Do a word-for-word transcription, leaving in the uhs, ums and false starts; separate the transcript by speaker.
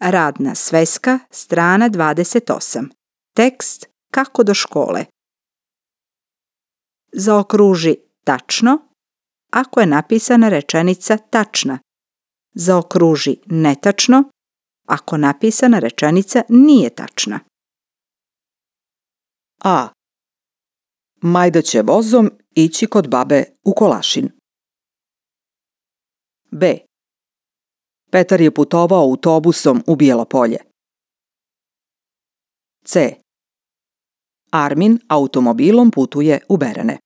Speaker 1: Radna sveska, strana dvadeset osam. Tekst kako do škole. Zaokruži tačno ako je napisana rečenica tačna. Zaokruži netačno ako napisana rečenica nije tačna.
Speaker 2: A. Majda će vozom ići kod babe u Kolašin. B. Petar je putovao autobusom u Bijelo Polje. C. Armin automobilom putuje u Berene.